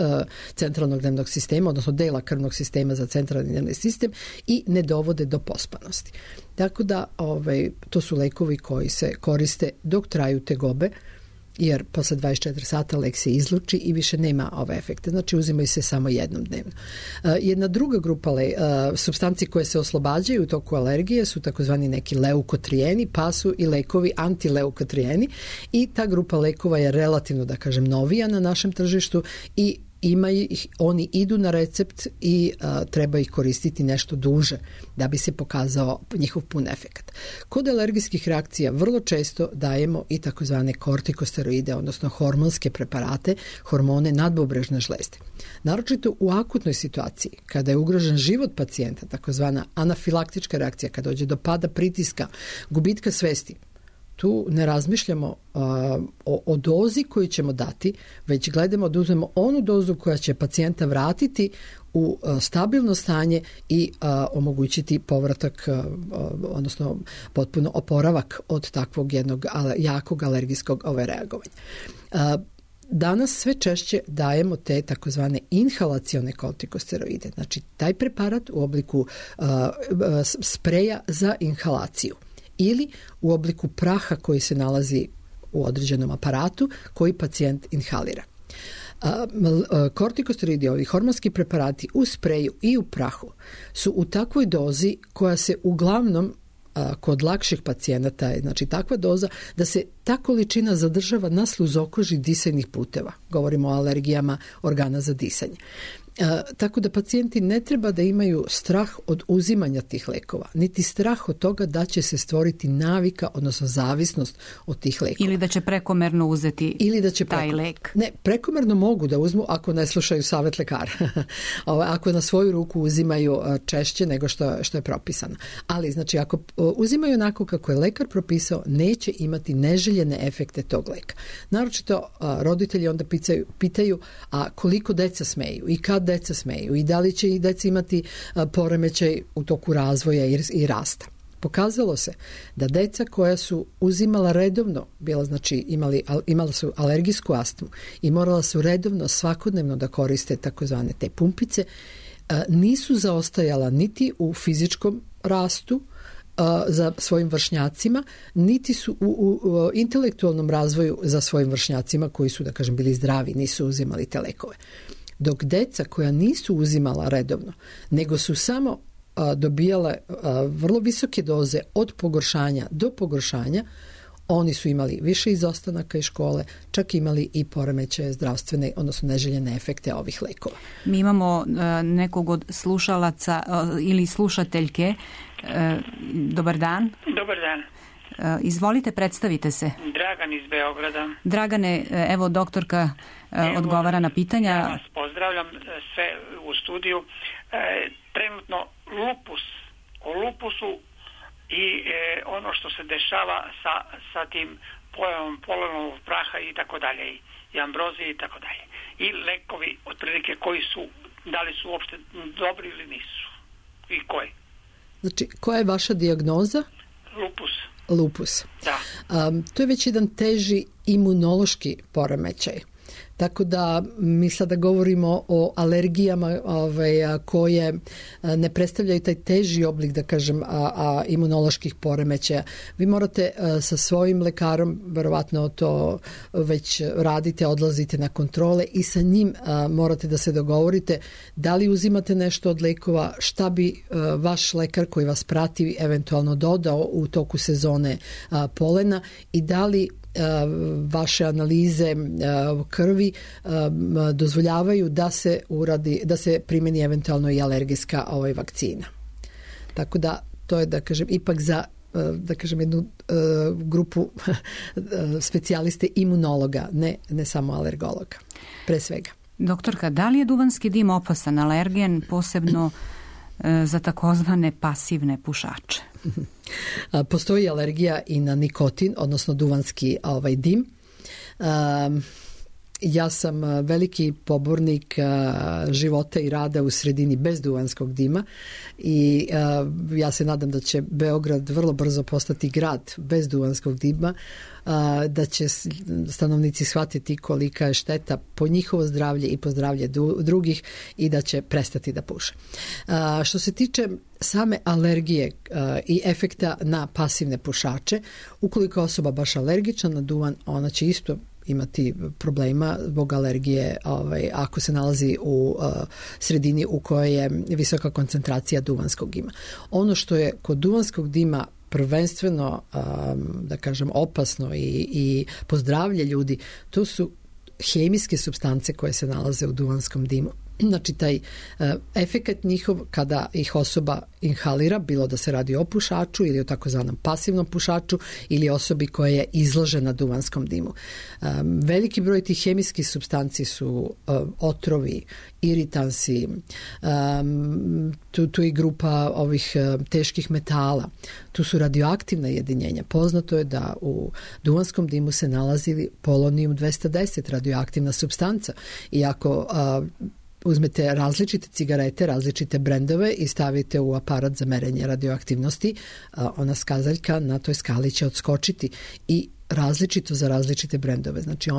Speaker 4: centralnog nervnog sistema, odnosno dela krvnog sistema za centralni nervni sistem i ne dovode do pospanosti. Tako da to su lekovi koji se koriste dok traju tegobe, jer posle 24 sata lek se izluči i više nema ove efekte. Znači, uzimaju se samo jednom dnevno. Jedna druga grupa supstanci koje se oslobađaju u toku alergije su takozvani neki leukotrijeni, pa su i lekovi antileukotrijeni i ta grupa lekova je relativno, da kažem, novija na našem tržištu i oni idu na recept i treba ih koristiti nešto duže da bi se pokazao njihov pun efekt. Kod alergijskih reakcija vrlo često dajemo i takozvane kortikosteroide, odnosno hormonske preparate, hormone nadbubrežne žlezde. Naročito u akutnoj situaciji, kada je ugrožen život pacijenta, takozvana anafilaktička reakcija, kada dođe do pada pritiska, gubitka svesti, tu ne razmišljamo o dozi koju ćemo dati, već gledamo da uzmemo onu dozu koja će pacijenta vratiti u stabilno stanje i omogućiti povratak, odnosno potpuno oporavak od takvog jednog jakog alergijskog reagovanja. Danas sve češće dajemo te takozvane inhalacione kortikosteroide, znači taj preparat u obliku spreja za inhalaciju ili u obliku praha koji se nalazi u određenom aparatu koji pacijent inhalira. Kortikosteroidi, ovi hormonski preparati u spreju i u prahu su u takvoj dozi koja se uglavnom kod lakših pacijenata, znači takva doza da se ta količina zadržava na sluzokoži disajnih puteva. Govorimo o alergijama organa za disanje. Tako da pacijenti ne treba da imaju strah od uzimanja tih lekova, niti strah od toga da će se stvoriti navika, odnosno zavisnost od tih lekova.
Speaker 3: Ili da će prekomerno uzeti taj lek.
Speaker 4: Ne, prekomerno mogu da uzmu ako ne slušaju savjet lekara. Ako na svoju ruku uzimaju češće nego što je propisano. Ali, znači, ako uzimaju onako kako je lekar propisao, neće imati neželjene efekte tog leka. Naročito roditelji onda pitaju a koliko deca smeju i kad deca smeju i da li će i deca imati poremećaj u toku razvoja i rasta. Pokazalo se da deca koja su uzimala redovno, imala su alergijsku astmu i morala su redovno svakodnevno da koriste takozvane te pumpice, nisu zaostajala niti u fizičkom rastu za svojim vršnjacima, niti su u intelektualnom razvoju za svojim vršnjacima koji su, da kažem, bili zdravi, nisu uzimali te lekove. Dok deca koja nisu uzimala redovno, nego su samo dobijale vrlo visoke doze od pogoršanja do pogoršanja, oni su imali više izostanaka iz škole, čak imali i poremećaje zdravstvene, odnosno neželjene efekte ovih lekova.
Speaker 3: Mi imamo nekog od slušalaca ili slušateljke. Dobar dan.
Speaker 16: Dobar dan.
Speaker 3: Izvolite, predstavite se.
Speaker 16: Dragan iz Beograda.
Speaker 3: Dragane, evo doktorka odgovara na pitanja.
Speaker 16: Ja vas pozdravljam sve u studiju. Trenutno o lupusu i ono što se dešava sa tim pojavom polenovog praha i tako dalje, i ambrozije i tako dalje. I lekovi otprilike koji su, da li su uopšte dobri ili nisu i koji.
Speaker 4: Znači, koja je vaša dijagnoza? Lupus.
Speaker 16: Da.
Speaker 4: To je već jedan teži imunološki poremećaj. Tako da mi sada govorimo o alergijama koje ne predstavljaju taj teži oblik, da kažem, imunoloških poremećaja. Vi morate sa svojim lekarom, verovatno to već radite, odlazite na kontrole i sa njim morate da se dogovorite da li uzimate nešto od lekova, šta bi vaš lekar koji vas prati eventualno dodao u toku sezone polena i da li vaše analize krvi dozvoljavaju da se primeni eventualno i alergijska vakcina. Tako da to je, da kažem, ipak za jednu grupu specijaliste imunologa, ne samo alergologa, pre svega.
Speaker 3: Doktorka, da li je duvanski dim opasan alergen, posebno za takozvane pasivne pušače?
Speaker 4: Postoji alergija i na nikotin, odnosno duvanski dim. Ja sam veliki pobornik života i rada u sredini bez duvanskog dima i ja se nadam da će Beograd vrlo brzo postati grad bez duvanskog dima, da će stanovnici shvatiti kolika je šteta po njihovo zdravlje i po zdravlje drugih i da će prestati da puše. Što se tiče same alergije i efekta na pasivne pušače, ukoliko je osoba baš alergična na duvan, ona će isto imati problema zbog alergije ako se nalazi u sredini u kojoj je visoka koncentracija duvanskog dima. Ono što je kod duvanskog dima prvenstveno, da kažem, opasno i po zdravlje ljudi, to su hemijske supstance koje se nalaze u duvanskom dimu. Znači taj efekat njihov kada ih osoba inhalira, bilo da se radi o pušaču ili o takozvanom pasivnom pušaču ili osobi koja je izložena duvanskom dimu. Veliki broj tih hemijskih supstanci su otrovi, iritansi, tu i grupa ovih teških metala, tu su radioaktivna jedinjenja. Poznato je da u duvanskom dimu se nalazi polonijum 210, radioaktivna supstanca. I ako uzmete različite cigarete, različite brendove i stavite u aparat za merenje radioaktivnosti, ona skazaljka na toj skali će odskočiti i različito za različite brendove. Znači,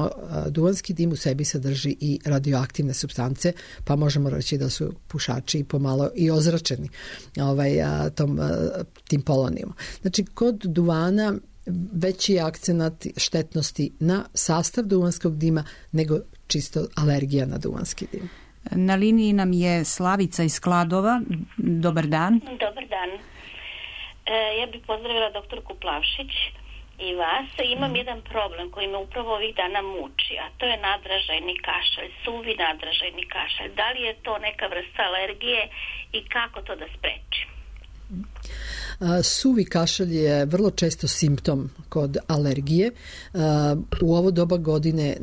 Speaker 4: duvanski dim u sebi sadrži i radioaktivne supstance, pa možemo reći da su pušači i pomalo i ozračeni tim polonijom. Znači, kod duvana veći je akcenat štetnosti na sastav duvanskog dima nego čisto alergija na duvanski dim.
Speaker 3: Na liniji nam je Slavica iz Kladova. Dobar dan.
Speaker 17: Dobar dan. Ja bih pozdravila doktorku Plavšić i vas. Imam jedan problem koji me upravo ovih dana muči, a to je nadražajni kašalj, suvi nadražajni kašalj. Da li je to neka vrsta alergije i kako to da sprečim?
Speaker 4: Suvi kašalj je vrlo često simptom kod alergije. U ovo doba godine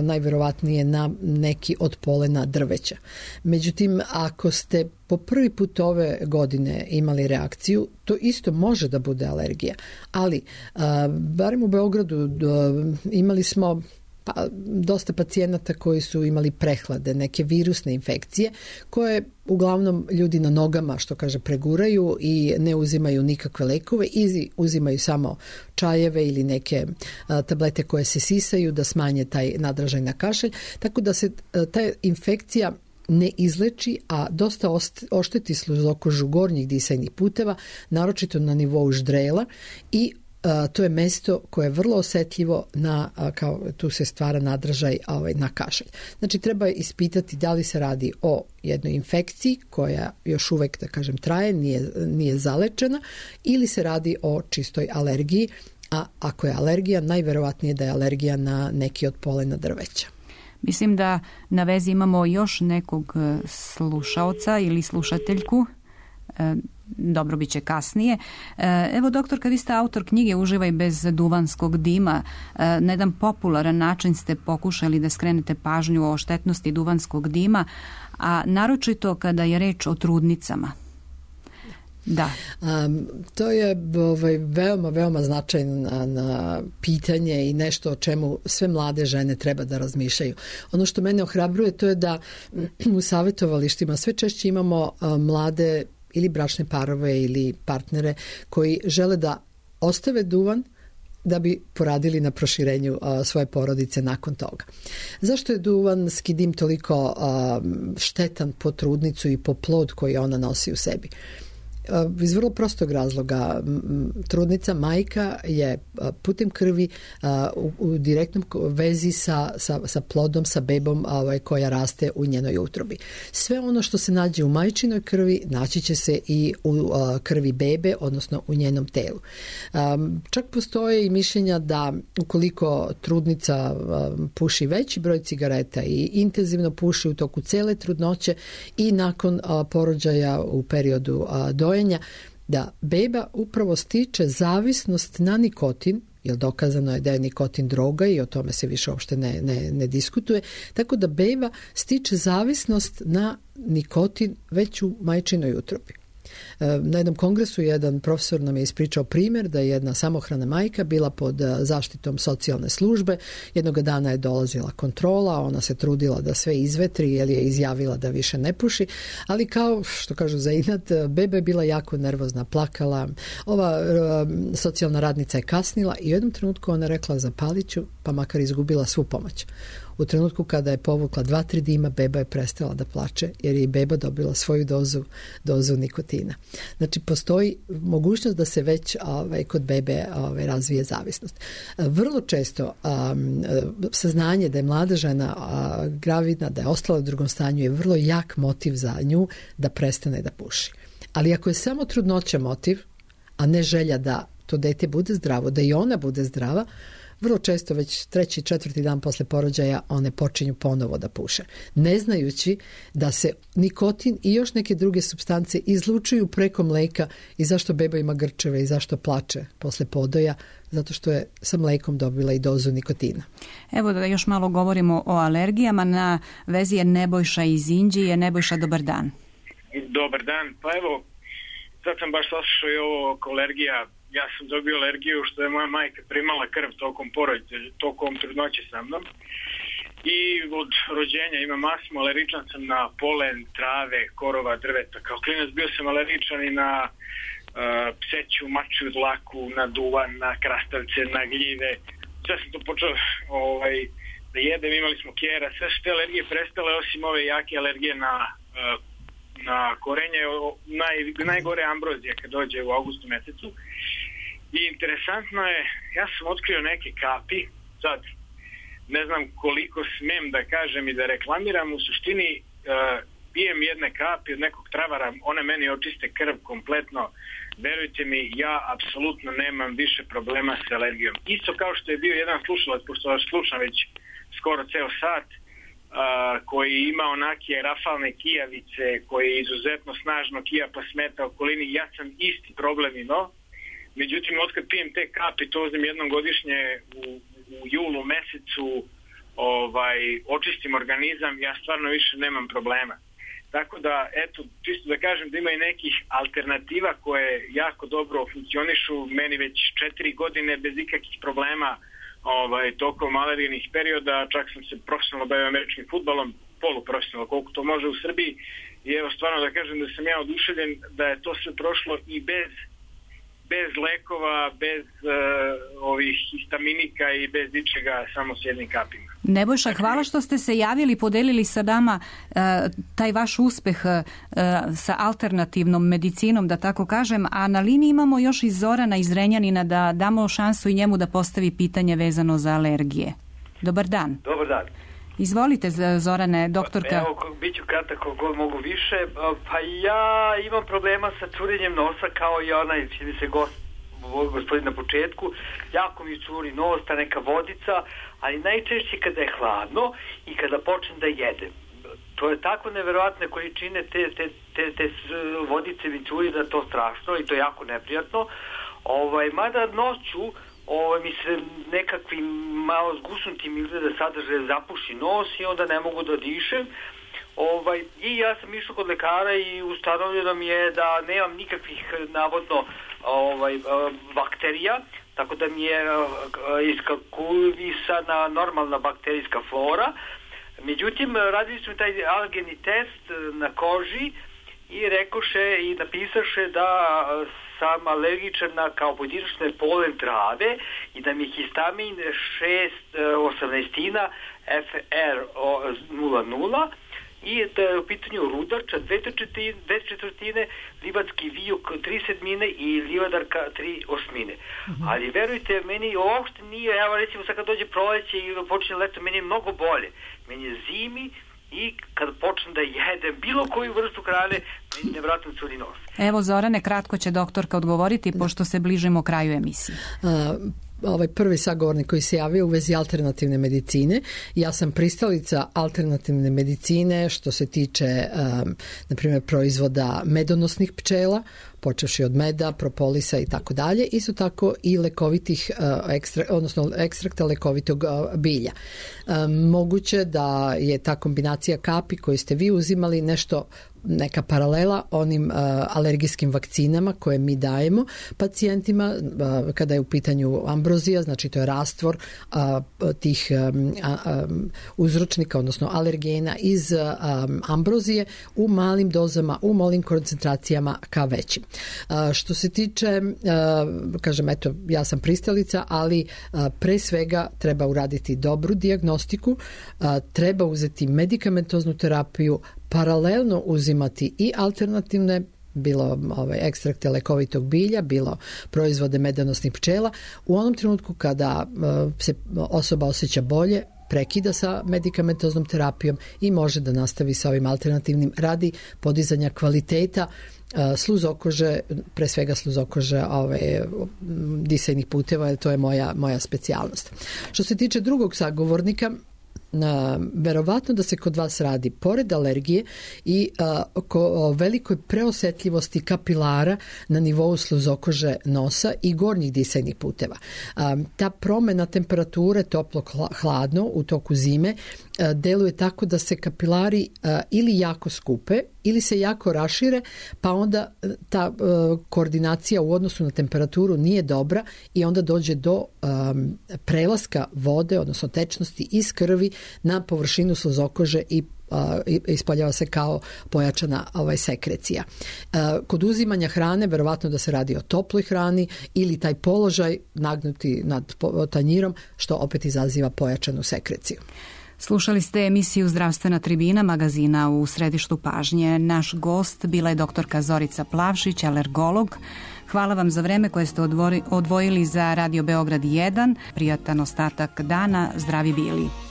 Speaker 4: najverovatnije na neki od polena drveća. Međutim, ako ste po prvi put ove godine imali reakciju, to isto može da bude alergija. Ali, barem u Beogradu imali smo dosta pacijenata koji su imali prehlade, neke virusne infekcije koje uglavnom ljudi na nogama, što kaže, preguraju i ne uzimaju nikakve lekove i uzimaju samo čajeve ili neke tablete koje se sisaju da smanje taj nadražaj na kašalj. Tako da se ta infekcija ne izleči, a dosta ošteti sluzokožu gornjih disajnih puteva, naročito na nivou ždrela i to je mesto koje je vrlo osetljivo kao tu se stvara nadražaj na kašalj. Znači, treba ispitati da li se radi o jednoj infekciji koja još uvek, da kažem, traje, nije zalečena, ili se radi o čistoj alergiji, a ako je alergija, najverovatnije da je alergija na neki od polena drveća.
Speaker 3: Mislim da na vezi imamo još nekog slušaoca ili slušateljku. Dobro, bit će kasnije. Evo, doktorka, vi ste autor knjige Uživaj bez duvanskog dima. Na jedan popularan način ste pokušali da skrenete pažnju o štetnosti duvanskog dima, a naročito kada je reč o trudnicama. Da.
Speaker 4: To je veoma, veoma značajno na pitanje i nešto o čemu sve mlade žene treba da razmišljaju. Ono što mene ohrabruje to je da u savjetovalištima sve češće imamo mlade ili bračne parove ili partnere koji žele da ostave duvan da bi poradili na proširenju svoje porodice nakon toga. Zašto je duvanski dim toliko štetan po trudnicu i po plod koji ona nosi u sebi? Iz vrlo prostog razloga. Trudnica, majka je putem krvi u direktnom vezi sa plodom, sa bebom koja raste u njenoj utrobi. Sve ono što se nađe u majčinoj krvi naći će se i u krvi bebe, odnosno u njenom telu. Čak postoje i mišljenja da ukoliko trudnica puši veći broj cigareta i intenzivno puši u toku cele trudnoće i nakon porođaja u periodu dojenja, da beba upravo stiče zavisnost na nikotin, jer dokazano je da je nikotin droga i o tome se više uopšte ne diskutuje, tako da beba stiče zavisnost na nikotin već u majčinoj utrobi. Na jednom kongresu jedan profesor nam je ispričao primjer da je jedna samohrana majka bila pod zaštitom socijalne službe. Jednog dana je dolazila kontrola, ona se trudila da sve izvetri jer je izjavila da više ne puši, ali kao što kažu za inat, beba je bila jako nervozna, plakala. Ova socijalna radnica je kasnila i u jednom trenutku ona rekla zapalit ću, pa makar izgubila svu pomoć. U trenutku kada je povukla 2-3 dima, beba je prestala da plače jer je i beba dobila svoju dozu nikotina. Znači, postoji mogućnost da se već kod bebe razvije zavisnost. Vrlo često saznanje da je mlada žena gravidna, da je ostala u drugom stanju je vrlo jak motiv za nju da prestane da puši. Ali ako je samo trudnoća motiv, a ne želja da to dete bude zdravo, da i ona bude zdrava, vrlo često već 3. 4. dan posle porođaja one počinju ponovo da puše. Ne znajući da se nikotin i još neke druge supstance izlučuju preko mleka i zašto beba ima grčeve i zašto plače posle podoja, zato što je sa mlekom dobila i dozu nikotina.
Speaker 3: Evo da još malo govorimo o alergijama. Na vezi je Nebojša iz Inđije. Nebojša, dobar dan.
Speaker 18: Dobar dan. Pa evo, sad sam baš saslušao i ovo oko alergija. Ja sam dobio alergiju što je moja majka primala krv tokom trudnoće sa mnom. I od rođenja imam astmu, alergičan sam na polen, trave, korova, drveta. Kao klinac bio sam alergičan i na pseću, mačju dlaku, na duvan, na krastavce, na gljive. Sve sam to počeo da jedem, imali smo kjera, sve što te alergije prestale osim ove jake alergije na korenje, najgore ambrozija kad dođe u avgustu mesecu. I interesantno je, ja sam otkrio neke kapi, sad ne znam koliko smem da kažem i da reklamiram, u suštini pijem jedne kapi od nekog travara, one meni očiste krv kompletno, verujte mi, ja apsolutno nemam više problema s alergijom. Isto kao što je bio jedan slušalac, pošto vas slušam već skoro ceo sat, koji ima onake rafalne kijavice, koji je izuzetno snažno kija pa smeta okolini, ja sam isti problem imao. Međutim, otkad pijem te kapi, to uzem jednom godišnje u julu mesecu, očistim organizam, ja stvarno više nemam problema. Tako da, eto, čisto da kažem da ima i nekih alternativa koje jako dobro funkcionišu, meni već 4 godine bez ikakvih problema tokom alergijnih perioda, čak sam se profesionalno bavio američkim fudbalom, poluprofesionalno, koliko to može u Srbiji, i evo stvarno da kažem da sam ja oduševljen da je to sve prošlo i bez lekova, bez ovih histaminika i bez ničega, samo s jednim kapima.
Speaker 3: Nebojša, hvala što ste se javili i podelili sa nama taj vaš uspeh sa alternativnom medicinom, da tako kažem, a na liniji imamo još i Zorana iz Renjanina, da damo šansu i njemu da postavi pitanje vezano za alergije. Dobar dan.
Speaker 19: Dobar dan.
Speaker 3: Izvolite, Zorane, doktorka.
Speaker 19: Evo, bit ću kratak kako god mogu više. Pa ja imam problema sa curenjem nosa kao i onaj, čini se gospodin na početku. Jako mi curi nos, ta neka vodica, ali najčešće kada je hladno i kada počnem da jedem. To je tako neverovatne količine te vodice mi curi da je to strašno i to je jako neprijatno. Mada noću mi se nekakvim malo zgusnutim izgleda sadržaje zapuši nos i onda ne mogu da dišem. I ja sam išao kod lekara i ustanovljeno mi je da nemam nikakvih navodno bakterija, tako da mi je iskalkulisana normalna bakterijska flora. Međutim, radili smo taj alergeni test na koži i rekoše i napisaše da sam alergičan na kao pojedinačne polen trave i da mi je histamin 6/18 FR00 i da je u pitanju rudača 2/4, livatski vijuk 3/7 i livadarka 3/8. Ali verujte, meni uopšte nije, evo recimo sad kad dođe proleće i počne leto, meni je mnogo bolje. Meni je zimi i kad počnem da jedem bilo koju vrstu hrane, meni nevratno curi nos.
Speaker 3: Evo, Zorane, kratko će doktorka odgovoriti, pošto se bližimo kraju emisije.
Speaker 4: Ovaj prvi sagovornik koji se javio u vezi alternativne medicine. Ja sam pristalica alternativne medicine što se tiče na primjer proizvoda medonosnih pčela, počevši od meda, propolisa i tako dalje. Isto tako i lekovitih odnosno ekstrakta lekovitog bilja. Moguće da je ta kombinacija kapi koju ste vi uzimali neka paralela onim alergijskim vakcinama koje mi dajemo pacijentima kada je u pitanju ambrozija, znači to je rastvor tih uzročnika, odnosno alergena iz ambrozije u malim dozama, u malim koncentracijama ka većim. Što se tiče, kažem, eto, ja sam pristalica, ali pre svega treba uraditi dobru dijagnostiku, treba uzeti medikamentoznu terapiju, paralelno uzimati i alternativne, bilo ekstrakte lekovitog bilja, bilo proizvode medonosnih pčela. U onom trenutku kada se osoba osjeća bolje, prekida sa medikamentoznom terapijom i može da nastavi sa ovim alternativnim radi podizanja kvaliteta sluzokože, pre svega sluzokože disajnih puteva, jer to je moja specijalnost. Što se tiče drugog sagovornika, verovatno da se kod vas radi pored alergije i o velikoj preosetljivosti kapilara na nivou sluzokože nosa i gornjih disajnih puteva. Ta promjena temperature toplo-hladno u toku zime deluje tako da se kapilari ili jako skupe ili se jako rašire, pa onda ta koordinacija u odnosu na temperaturu nije dobra i onda dođe do prelaska vode, odnosno tečnosti iz krvi na površinu sluzokože i ispoljava se kao pojačana sekrecija. Kod uzimanja hrane, verovatno da se radi o toploj hrani ili taj položaj nagnuti nad tanjirom, što opet izaziva pojačanu sekreciju.
Speaker 3: Slušali ste emisiju Zdravstvena tribina magazina U središtu pažnje. Naš gost bila je doktorka Zorica Plavšić, alergolog. Hvala vam za vreme koje ste odvojili za Radio Beograd 1. Prijatan ostatak dana. Zdravi bili.